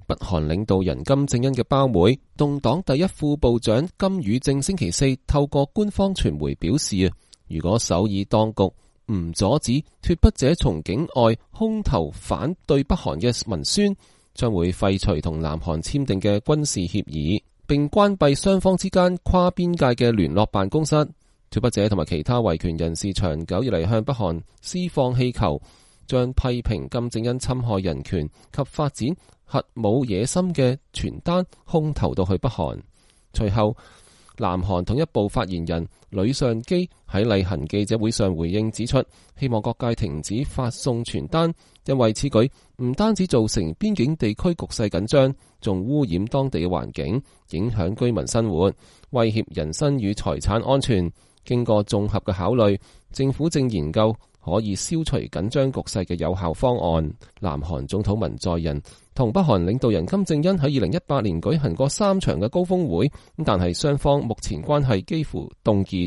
北韓領導人金正恩嘅胞妹，動黨第一副部長金與正星期四透過官方傳媒表示，如果首爾當局唔阻止脫北者從境外空投反對北韓嘅文宣，將會廢除同南韓簽訂嘅軍事協議，並關閉雙方之間跨邊界嘅聯絡辦公室。脫北者同埋其他維權人士長久以嚟向北韓施放氣球，將批評金正恩侵害人權及發展核武野心嘅傳單空投到去北韓。隨後，南韓統一部發言人呂尚基喺例行記者會上回應指出，希望各界停止發送傳單，因為此舉唔單止造成邊境地區局勢緊張，仲污染當地嘅環境，影響居民生活，威脅人身與財產安全。經過綜合嘅考慮，政府正研究可以消除緊張局勢嘅有效方案。南韓總統文在寅同北韓領導人金正恩喺2018年舉行過3場嘅高峰會，但係雙方目前關係幾乎凍結。